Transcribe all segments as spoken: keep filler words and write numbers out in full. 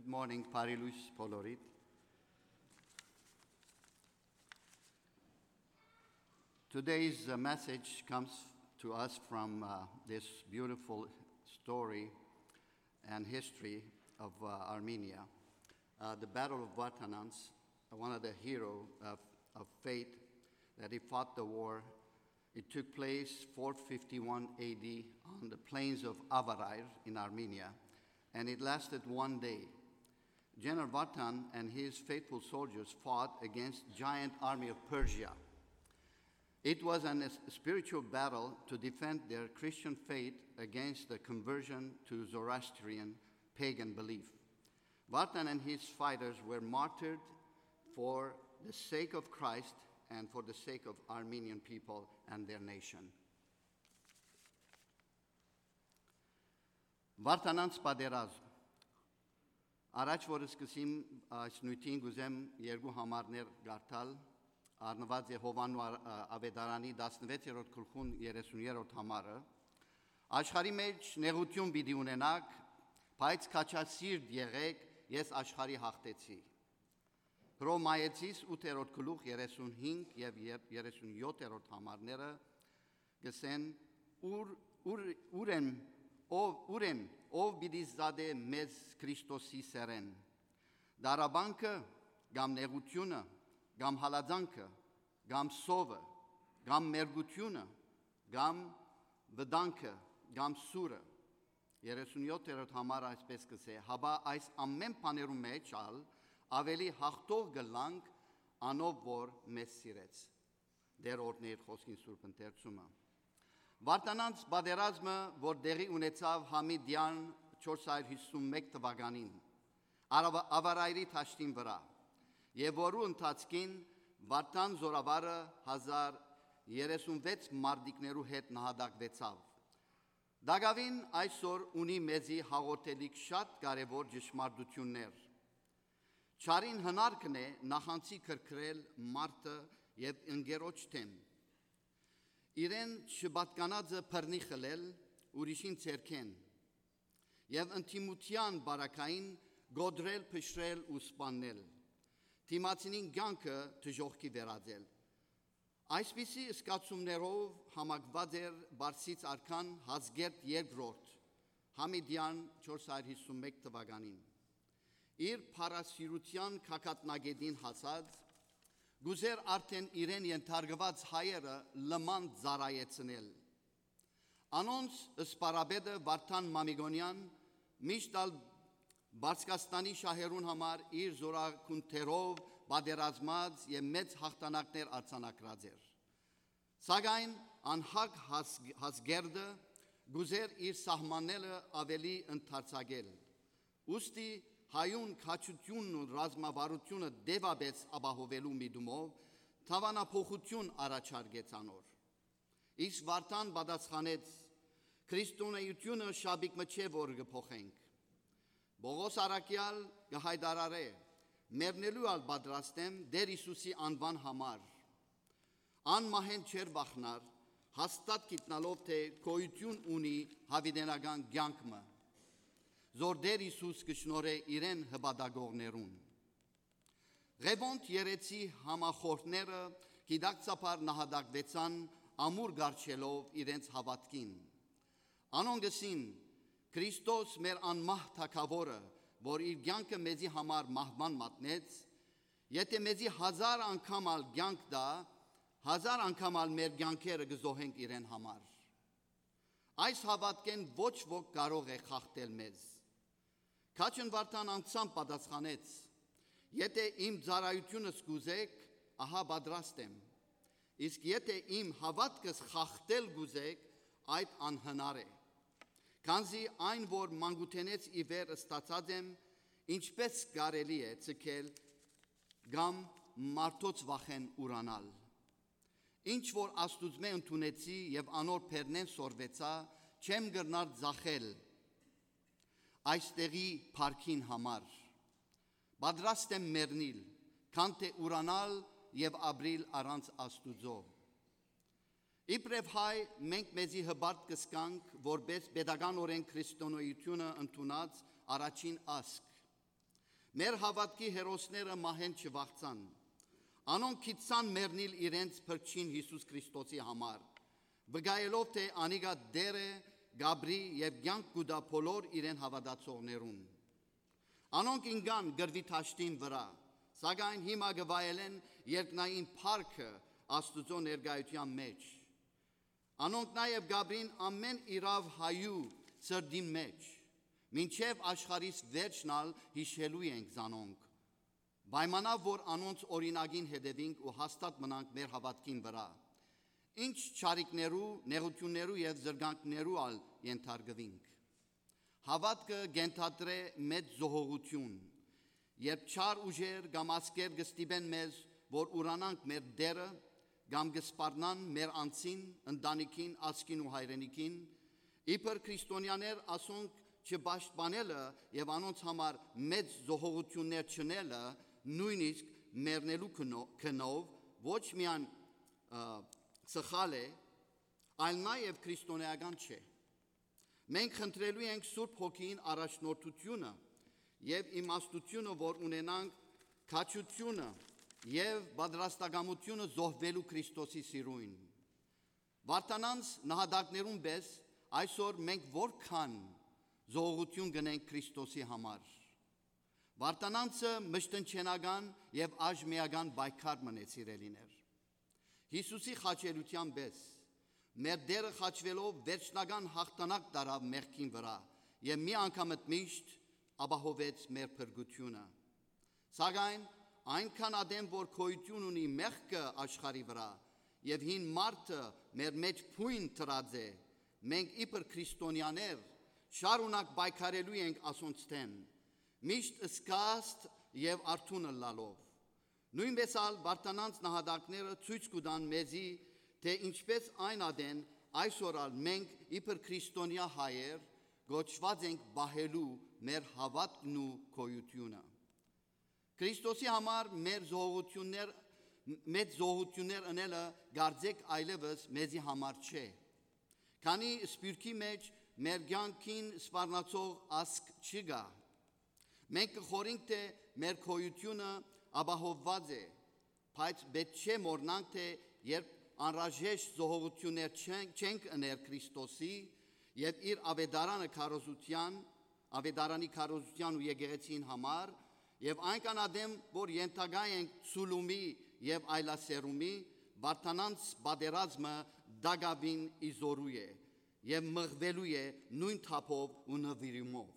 Good morning, բարի լույս բոլորիդ։ Today's uh, message comes to us from uh, this beautiful story and history of uh, Armenia. Uh, the Battle of Vartanants, one of the hero of, of faith that he fought the war. It took place four fifty-one A D on the plains of Avarair in Armenia, and it lasted one day. General Vartan and his faithful soldiers fought against giant army of Persia. It was an, a spiritual battle to defend their Christian faith against the conversion to Zoroastrian pagan belief. Vartan and his fighters were martyred for the sake of Christ and for the sake of Armenian people and their nation. Վարդանանց պատերազմ։ Առաջ որ սկսեմ այս նյութին, կուզեմ երկու համարներ կարդալ, առնուած է Յովհաննու ա- ա- Ավետարանի տասնվեցերորդ գլխուն երեսուներորդ համարը։ «Աշխարհի մեջ նեղութիւն պիտի ունենաք, բայց քաջասիրտ եղէք, ես աշխարհի հաղթեցի»։ Հռոմայեցիս ութերորդ գլուխ երեսունհինգ եւ եր- երեսունյոթերորդ համարները կ'ըսեն. «Ո՞ւր, ո՞ւր, ո՞ւր են, ո՞վ, ո՞ւր են, ո՞վ պիտի զատէ մեզ Քրիստոսի սէրէն։ Դարաբանքը կամ նեղութիւնը, կամ հալածանքը, կամ սովը, կամ մերկութիւնը, կամ վտանգը, կամ սուրը»։ Երեսունյոթերորդ համարը այսպես կ'ըսէ. «Հապա այս ամէն բաներու մէջ ալ աւելի հաղթող կ'ըլլանք անով որ մեզ սիրեց»։ Տէր օրհնէ իր խօսքին սուրբ ընթերցումը։ Վարդանանց պատերազմը, որ տեղի ունեցաւ Համիդեան չորս հարիւր հիսուն մէկ թուականին, Արաვა- Ավարայրի դաշտին վրայ, եւ որու ընթացքին Վարդան զորավարը հազար երեսունվեց մարտիկներու հետ նահատակուեցաւ։ Տակաւին այսօր ունի մեզի հաղորդելիք շատ կարեւոր ճշմարտութիւններ։ Չարին հնարքն է նախանցի քրքրել մարդը եւ ընկերոջ դէմ։ Իրեն չպատկանածը բռնի խլել ուրիշին ձեռքէն եւ ընդդիմութեան պարագային կոտրել, փշրել ու սպաննել, դիմացինին կեանքը դժոխքի վերածել։ Այսպիսի զգացումներով համակված էր Պարսից արքան Հազկերտ երկրորդ Համիդեան չորս հարիւր հիսուն մէկ թուականին։ Իր փառասիրութեան գագաթնակետին հասած, կ'ուզէր արդէն իրեն ենթարկուած հայերը լման ծառայեցնել։ Անոնց սպարապետը Վարդան Մամիկոնեան միշտ ալ Պարսկաստանի շահերուն համար իր զորակունթերով պատերազմած եւ մեծ յաղթանակներ արձանագրած էր։ Սակայն անհագ Հազ- Հազկերտը կ'ուզէր իր սահմանները աւելի ընդարձակել։ Ուստի հայուն քաջութիւնն ու ռազմավարութիւնը դեւապէս ապահովելու միտումով դաւանափոխութիւն առաջարկեց անոր։ Իսկ Վարդան պատասխանեց. «Քրիստոնէութիւնը շապիկ մը չէ, որ կը փոխենք»։ Պողոս առաքեալ կը յայտարարէ. «Մեռնելու ալ պատրաստ եմ Տէր Յիսուսի անուան համար»։ Անմահէն չէր վախնար, հաստատ գիտնալով թէ գոյութիւն ունի յաւիտենական կեանք մը, զոր Տէր Յիսուս կը շնորհէ իրեն հպատակողներուն։ Ղեւոնդ երեցի համախոհները գիտակցաբար նահատակուեցան, ամուր կառչելով իրենց հաւատքին։ Անոնք ըսին. «Քրիստոս, մեր անմահ թագաւորը, որ իր կեանքը մեզի համար մահուան մատնեց, եթէ մեզի հազար անգամ ալ կեանք տայ, հազար անգամ ալ մեր կեանքերը կը զոհենք իրեն համար»։ Այս հաւատքէն ոչ ոք կարող է խախտել մեզ։ Քաջն Վարդան անձամբ պատասխանեց. «Եթէ իմ ծառայութիւնս կ'ուզէք, ահա պատրաստ եմ։ Իսկ եթէ իմ հաւատքս խախտել կ'ուզէք, այդ անհնար է։ Քանզի այն, որ մանկութենէս ի վեր ստացած եմ, ինչպէս կարելի է ձգել կամ մարդոց վախէն ուրանալ։ Ինչ որ Աստուծմէ ընդունեցի եւ անոր բերնէն սորվեցայ, չեմ կրնար ձախել այստեղի փառքին համար։ Պատրաստ եմ մեռնիլ, քան թէ ուրանալ եւ ապրիլ առանց Աստուծոյ»։ Իբրեւ հայ, մենք մեզի հպարտ կ'զգանք որպէս պետականօրէն քրիստոնէութիւնը ընդունած առաջին ազգ։ Մեր հաւատքի հերոսները մահէն չվախցան։ Անոնք գիտցան մեռնիլ իրենց փրկչին Յիսուս Քրիստոսի համար, վկայելով թէ անիկա Տէր է, կ'ապրի եւ կեանք կու տայ բոլոր իրեն հաւատացողներուն։ Անոնք ինկան կռուի դաշտին վրայ, սակայն հիմա կը վայելեն երկնային փառքը Աստուծոյ ներկայութեան մէջ։ Անոնք նաեւ կ'ապրին ամէն իրաւ հայու սրտին մէջ, մինչեւ աշխարհիս վերջն ալ յիշելու ենք զանոնք։ Պայմանաւ որ անոնց օրինակին հետեւինք ու հաստատ մնանք մեր հաւատքին վրայ, ինչ չարիքներու, նեղութիւններու եւ զրկանքներու ալ ենթարկուինք։ Հաւատքը կ'ենթադրէ մեծ զոհողութիւն, երբ չար ուժեր կամ ազգեր կը ստիպեն մեզ, որ ուրանանք մեր Տէրը, կամ կը սպառնան մեր անձին, ընտանիքին, ազգին ու հայրենիքին, իբր քրիստոնեաներ ասոնք չպաշտպանելը եւ անոնց համար մեծ զոհողութիւններ չընելը, նոյնիսկ մեռնելու գնո-, գնով, ոչ միայն, ը, սխալ է, այլ նաեւ քրիստոնեական չէ։ Մենք խնդրելու ենք Սուրբ Հոգիին առաջնորդությունը եւ իմաստությունը, որ ունենանք քաջությունը եւ պատրաստակամությունը զոհուելու Քրիստոսի սիրոյն։ Վարդանանց նահատակներուն պէս այսօր մենք որքան զոհողութիւն կ'ընենք Քրիստոսի համար։ Վարդանանցը մշտնջենական եւ աժմեական պայքար մնաց, սիրելիներ։ Յիսուսի խաչելութեան պէս, մեր Տէրը խաչուելով վերջնական յաղթանակ տարաւ մեղքին վրայ եւ մի անգամ միշտ ապահովեց մեր փրկութիւնը։ Սակայն այնքան ատեն որ գոյութիւն ունի մեղքը աշխարհի վրայ եւ հին մարդը մեր մէջ բոյն դրած է, մենք իբր քրիստոնեաներ շարունակ պայքարելու ենք ասոնց դէմ, միշտ զգաստ եւ արթուն ըլլալով։ Նոյնպէս ալ Վարդանանց նահատակները ցոյց կու տան մեզի, թէ ինչպէս այն ատեն այսօր ալ մենք իբր քրիստոնեայ հայեր կոչուած ենք պահելու մեր հաւատքն ու գոյութիւնը։ Քրիստոսի համար մեր զոհողութիւններ, մեծ զոհողութիւններ ընելը կարծէք այլեւս մեզի համար չէ, քանի սփիւռքի մէջ մեր կեանքին սպառնացող ազգ չի գա։ Մենք կը խորհենք թէ մեր գոյութիւնը ապահովուած է, բայց պէտք չէ մոռնանք թէ երբ անհրաժեշտ զոհողութիւններ չենք, չենք ըներ Քրիստոսի եւ իր աւետարանը քարոզութեան, աւետարանի քարոզութեան ու եկեղեցին համար, եւ այնքան ատեն որ ենթակայ ենք ցուլումի եւ այլասերումի, Վարդանանց պատերազմը տակաւին ի զօրու է եւ մղուելու է նոյն թափով ու նուիրումով։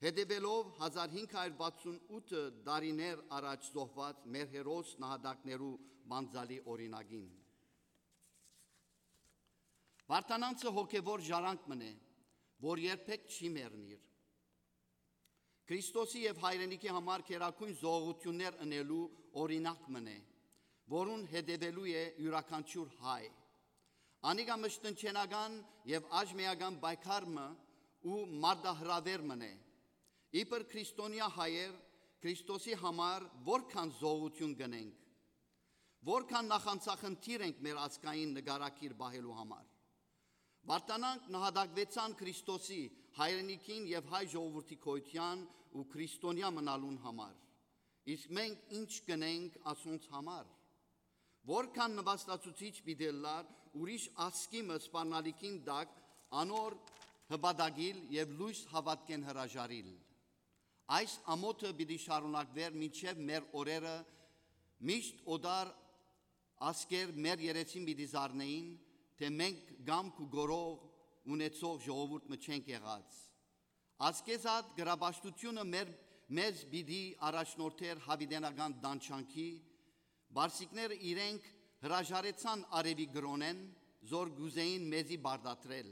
Հետեւելով հազար հինգ հարիւր վաթսուն ութ տարիներ առաջ զոհուած մեր հերոս նահատակներու պանծալի օրինակին։ Վարդանանցը հոգեւոր ժառանգ մըն է, որ երբեք չի մեռնիր։ Քրիստոսի եւ հայրենիքի համար գերագոյն զոհողութիւններ ընելու օրինակ մըն է, որուն հետեւելու է իւրաքանչիւր հայ։ Անիկա մշտնջենական եւ աժմեական պայքար մը ու մարտահրաւէր մըն է։ Իբր քրիստոնեայ հայեր Քրիստոսի համար որքան զոհողութիւն կ'ընենք, որքան նախանձախնդիր ենք մեր ազգային նկարագիր պահելու համար։ Վարդանանք նահատակուեցան Քրիստոսի, հայրենիքին եւ հայ ժողովուրդի գոյութեան ու քրիստոնեայ մնալուն համար։ Իսկ մենք ի՞նչ կ'ընենք ասոնց համար։ Որքան նուաստացուցիչ պիտի ըլլար ուրիշ ազգի մը սպառնալիքին տակ անոր հպատակիլ եւ լոյս հաւատքէն հրաժարիլ։ Այս ամօթը պիտի շարունակուէր մինչեւ մեր օրերը, միշտ օտար ազգեր մեր երեսին պիտի զարնէին, թէ մենք կամք ու կորող ունեցող ժողովուրդ մը չենք եղած։ Ազգեզատ գրապաշտութիւնը մեր, մեզ պիտի առաջնորդէր յաւիտենական տանջանքի, պարսիկները իրենք հրաժարեցան արեւի կրօնէն, զոր կ'ուզէին մեզի պարտադրել,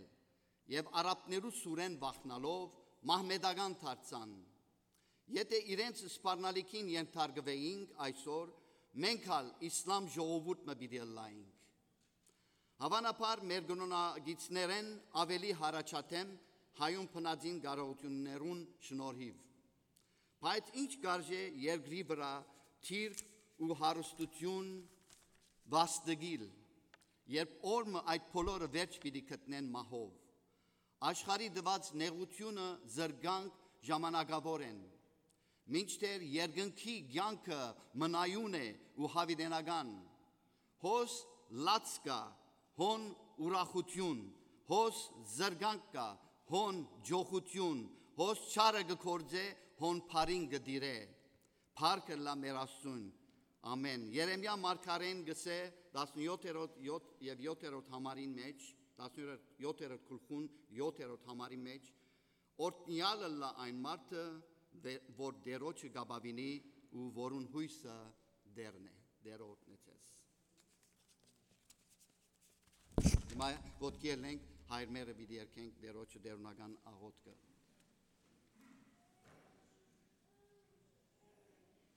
եւ արաբներու սուրէն վախնալով մահմետական դարձան։ Եթէ իրենց սպառնալիքին ենթարկուէինք այսօր, մենք ալ իսլամ ժողովուրդ մը պիտի ըլլայինք։ Հաւանաբար մեր կրօնակիցներէն աւելի յառաջադէմ հայուն բնածին կարողութիւններուն շնորհիւ։ Բայց ի՞նչ կարժէ երկրի վրայ դիրք ու հարստութիւն վաստակիլ, երբ օր մը այդ բոլորը վերջ պիտի գտնեն մահով։ Աշխարհի տուած նեղութիւնը, զրկանք ժամանակաւոր են։ մինչդեռ երկնքի կեանքը մնայուն է ու յաւիտենական։ Հոս լաց կայ, հոն ուրախութիւն, հոս զրկանք կայ, հոն ջոխութիւն, հոս չարը կը գործէ, հոն բարին կը տիրէ։ Փառք ըլլայ մեր Աստծուն։ Ամէն։ Երեմիա մարգարէն գսէ տասնեթերորդ, յոթ եւ յոթերորդ համարին մէջ, տասնեթերորդ գլխուն յոթերորդ համարին մէջ. «Օրհնեալ ըլլայ այն մարդը, դե-, որ Տէրոջը կ'ապաւինի ու որուն յոյսը Տէրն է»։ Տէրը օրհնեցես։ Հիմա ոտքի ելնենք, հայր մերը պիտի երգենք Տէրոջը տէրունական աղոթքը։